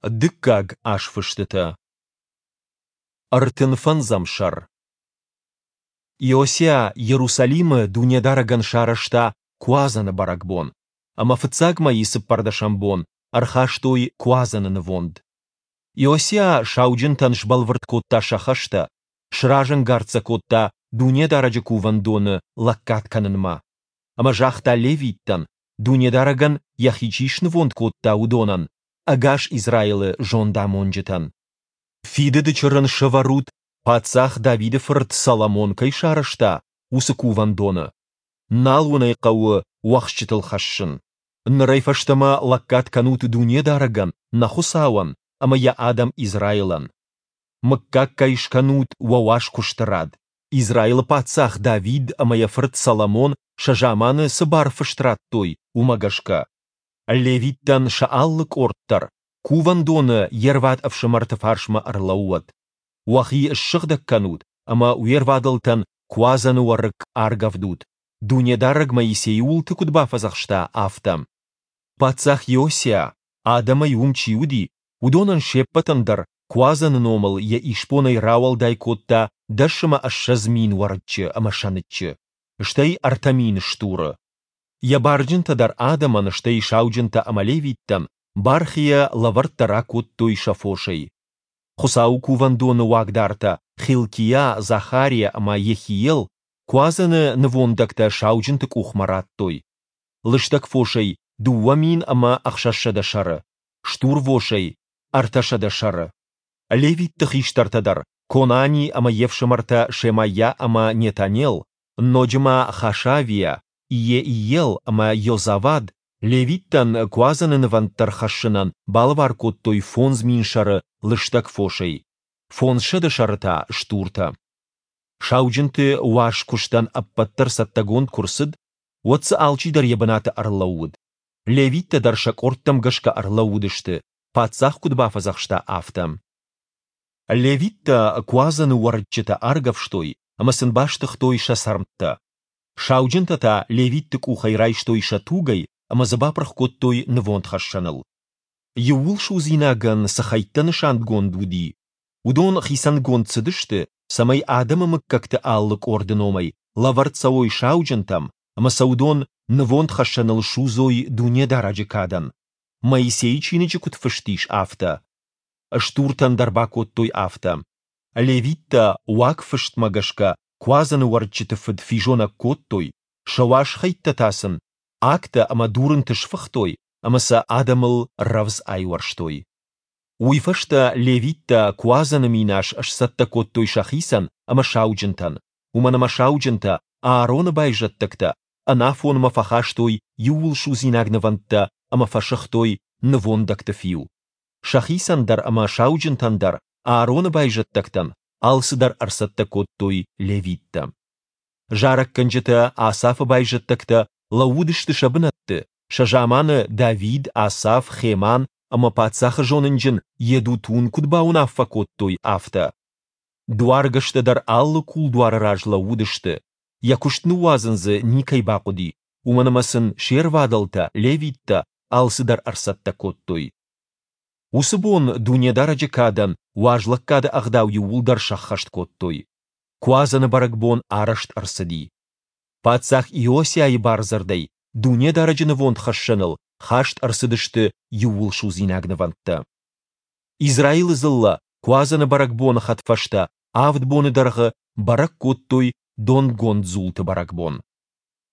Дыккаг азфыстытӕ. 35-ӕм сӕр. Иосиа Йерусалимы Дунедарӕгӕн сарӕзта Куадзӕны бӕрӕгбон, ӕмӕ фыццаг мӕйы цыппӕрдӕсӕм бон ӕрхастой Куадзӕны нывонд. Иосиа сауджынтӕн сбӕлвырд кодта сӕ хӕстӕ, сразӕнгард сӕ кодта Дунедарӕджы Кувӕндоны лӕггад кӕнынмӕ. Ӕмӕ загъта левиттӕн, Дунедарӕгӕн йӕхи чи снывонд кодта, уыдонӕн, ӕгас Израилы зондамонджытӕн. Фидыды чырын сӕвӕрут, паддзах Давиды фырт Соломон кӕй сарӕзта, уыцы кувӕндоны. Нал уын ӕй хъӕуы уӕхсчытыл хӕссын. Нырӕй фӕстӕмӕ лӕггад кӕнут Дунедарӕгӕн, нӕ Хуыцауӕн, ӕмӕ Йӕ адӕм Израилӕн. Мыггаггай скӕнут уӕ уаз куысты рад, Израилы паддзах Давид ӕмӕ йӕ фырт Соломон сӕ заманы цы барфыст радтой, уымӕ гӕсгӕ. Левиттӕн сӕ алы къорд дӕр кувӕндоны йе рвад ӕфсымӕрты фарсмӕ ӕрлӕууӕд. Уӕхи ссыгъдӕг кӕнут ӕмӕ уе рвадӕлтӕн Куадзӕны уӕрыкк аргӕвдут, Дунедарӕг Моисейы уылты куыд бафӕдзӕхста, афтӕ. Паддзах Иосиа, адӕмӕй уым чи уыди, уыдонӕн се ппӕтӕн дӕр Куадзӕны номыл йӕ исбонӕй рауӕлдай кодта 20 000 уӕрыччы ӕмӕ сӕныччы, стӕй 3000 стуры. Йӕ барджынтӕ дӕр адӕмӕн, стӕй сауджынтӕ ӕмӕ левиттӕн бархийӕ лӕвӕрттӕ ракодтой сӕ фосӕй. Хуыцауы кувӕндоны уагдартӕ Хилкиа, Захариа ӕмӕ Йехиел Куадзӕны нывондӕгтӕ сауджынты къухмӕ радтой. Лыстӕг фосӕй 2600 сӕры, стурвосӕй 300 сӕры. Левитты хистӕртӕ дӕр, Конани ӕмӕ йе фсымӕртӕ Шемайа ӕмӕ Нетанел, ноджы ма Хашавиа, Иеиел ӕмӕ Йозавад, левиттӕн Куадзӕны нывӕндтӕ рхӕссынӕн балӕвар кодтой 5000 сӕры лыстӕг фосӕй, 500 сӕры та стуртӕ. Сауджынты уаз куыстӕн ӕппӕт дӕр цӕттӕгонд куы рцыд, уӕд дзы алчидӕр йӕ бынаты ӕрлӕууыд. Левиттӕ дӕр сӕ къордтӕм гӕсгӕ ӕрлӕууыдысты, паддзах куыд бафӕдзӕхста, афтӕ. Левиттӕ Куадзӕны уӕрыччытӕ аргӕвстой ӕмӕ сын бастыгътой сӕ цӕрмттӕ. Сауджынтӕ та левитты къухӕй райстой сӕ тугӕй ӕмӕ дзы бапырх кодтой нывондхӕссӕныл. Иууылсудзинагӕн цы хӕйттӕ нысангонд уыди, уыдон хицӕнгонд цыдысты, цӕмӕй адӕмы мыггӕгты алы къорды номӕй лӕвӕрд цӕуой сауджынтӕм ӕмӕ сӕ уыдон нывондхӕссӕныл судзой Дунедарӕджы кадӕн, Моисейы чиныджы куыд фыст ис, афтӕ. Стуртӕн дӕр бакодтой афтӕ. Левиттӕ уагфыстмӕ гӕсгӕ Куадзӕны уӕрыччыты фыд физонӕг кодтой, сӕ уаз хӕйттӕ та сын агтӕ ӕмӕ дурынты сфыхтой ӕмӕ сӕ адӕмыл рӕвдз айуӕрстой. Уый фӕстӕ левиттӕ Куадзӕны минас сцӕттӕ кодтой сӕхицӕн ӕмӕ сауджынтӕн, уымӕн ӕмӕ сауджынтӕ, Аароны байзӕддӕгтӕ, ӕнафонмӕ фӕхастой иууылсудзинаг нывӕндтӕ ӕмӕ фӕсыгътой нывондӕгты фиу. Сӕхицӕн дӕр ӕмӕ сауджынтӕн дӕр, Аароны байзӕддӕгтӕн, алцыдӕр ӕрцӕттӕ кодтой левиттӕ. Зарӕггӕнджытӕ Асафы байзӕддӕгтӕ лӕууыдысты сӕ бынӕтты, сӕ заманы Давид, Асаф, Хеман ӕмӕ паддзахы зонынджын Йедутун куыд бауынаффӕ кодтой, афтӕ. Дуаргӕстӕ дӕр алы кулдуары раз лӕууыдысты, йӕ куыст ныууадзын дзы никӕй бахъуыди, уымӕн ӕмӕ сын се рвадӕлтӕ, левиттӕ, алцыдӕр ӕрцӕттӕ кодтой. Уыцы бон Дунедарӕджы кадӕн уазлӕггады ӕгъдау иууылдӕр сӕххӕст кодтой. Куадзӕны бӕрӕгбон арӕзт ӕрцыди. Паддзах Иосиайы бардзырдӕй Дунедарӕджы нывондхӕссӕныл хаст ӕрцыдысты иууылсудзинаг нывӕндтӕ. Израилы дзыллӕ Куадзӕны бӕрӕгбоны хӕдфӕстӕ авд боны дӕргъы бӕрӕг кодтой Донгонд дзулты бӕрӕгбон.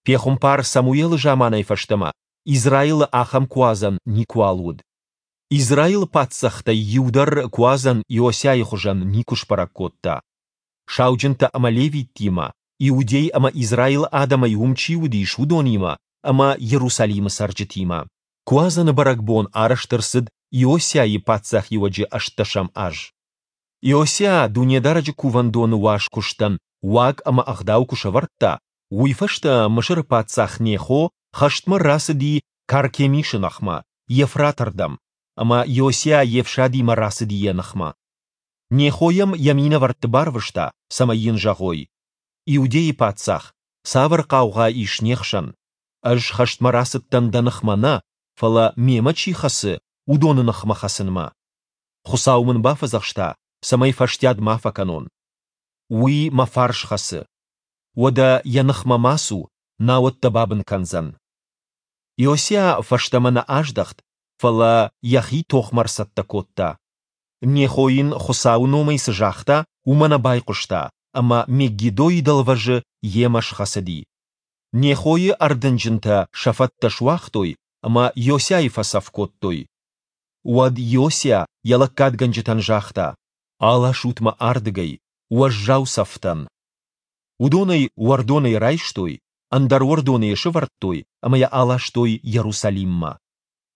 Пехуымпар Самуелы заманӕй фӕстӕмӕ Израилы ахӕм Куадзӕн никуал уыд. Израилы паддзӕхтӕй иу дӕр Куадзӕн Иосиайы хуызӕн никуы сбӕрӕг кодта. Сауджынтӕ ӕмӕ левиттимӕ, Иудей ӕмӕ Израилы адӕмӕй уым чи уыдис, уыдонимӕ ӕмӕ Иерусалимы цӕрджытимӕ. Куадзӕны бӕрӕгбон арӕзт ӕрцыд Иосиайы паддзахиуӕджы ӕстдӕсӕм аз. Иосиа Дунедарӕджы кувӕндоны уаз куыстӕн уаг ӕмӕ ӕгъдау куы сӕвӕрдта, уый фӕстӕ Мысыры паддзах Нехо хӕстмӕ рацыди Каркемисы ныхмӕ, Евфраты рдӕм, ӕмӕ Иосиа йе фсадимӕ рацыди йӕ ныхмӕ. Нехо йӕм йӕ минӕвӕртты барвыста, цӕмӕй йын зӕгъой: «Иудейы паддзах, цавӕр хъаугъа ис не хсӕн? Ӕз хӕстмӕ рацыдтӕн дӕ ныхмӕ нӕ, фӕлӕ, мемӕ чи хӕцы, уыдоны ныхмӕ хӕцынмӕ. Хуыцау мын бафӕдзӕхста, цӕмӕй фӕстиат ма фӕкӕнон. Уый мӕ фарс хӕцы. Уӕдӕ йӕ ныхмӕ ма цу, науӕд дӕ бабын кӕндзӕн. Иосиа фӕстӕмӕ нӕ аздӕхт, фӕлӕ йӕхи тохмӕ ӕрцӕттӕ кодта. Нехо йын Хуыцауы номӕй цы загъта, уымӕ нӕ байхъуыста ӕмӕ Меггидойы дӕлвӕзы йемӕ схӕцыди. Нехойы ӕрдынджынтӕ сӕ фӕттӕ суагътой ӕмӕ Иосиайы фӕцӕф кодтой. Уӕд Иосиа йӕ лӕггадгӕнджытӕн загъта: Аласут мӕ ардыгӕй, уӕззау цӕф дӕн. Уыдон ӕй уӕрдонӕй райстой, ӕндӕр уӕрдоны йӕ сӕвӕрдтой ӕмӕ йӕ аластой Иерусалиммӕ.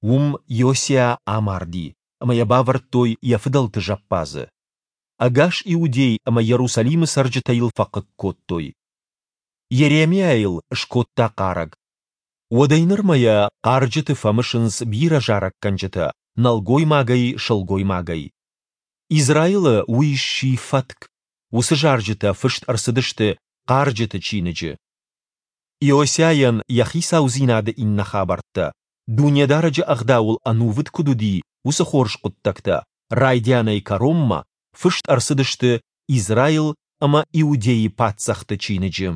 Уым Иосиа амарди, ӕмӕ йӕ бавӕрдтой йӕ фыдӕлты зӕппадзы. Ӕгас Иудей ӕмӕ Иерусалимы цӕрджытӕ йыл фӕхъыг кодтой. Йеремиа йыл скодта хъарӕг. Уӕдӕй нырмӕ йӕ хъарджыты фӕмысынц бирӕ зарӕггӕнджытӕ, нӕлгоймагӕй, сылгоймагӕй. Израилы уый сси фӕтк, уыцы зарджытӕ фыст ӕрцыдысты Хъарджыты чиныджы. Иосиайӕн йӕ хицаудзинады иннӕ хабӕрттӕ, Дунедарӕджы Ӕгъдауыл ӕнувыд куыд уыди, уыцы хорз хъуыддӕгтӕ, райдианӕй кӕронмӕ, фыст ӕрцыдысты Израил ӕмӕ Иудейы паддзӕхты чиныджы.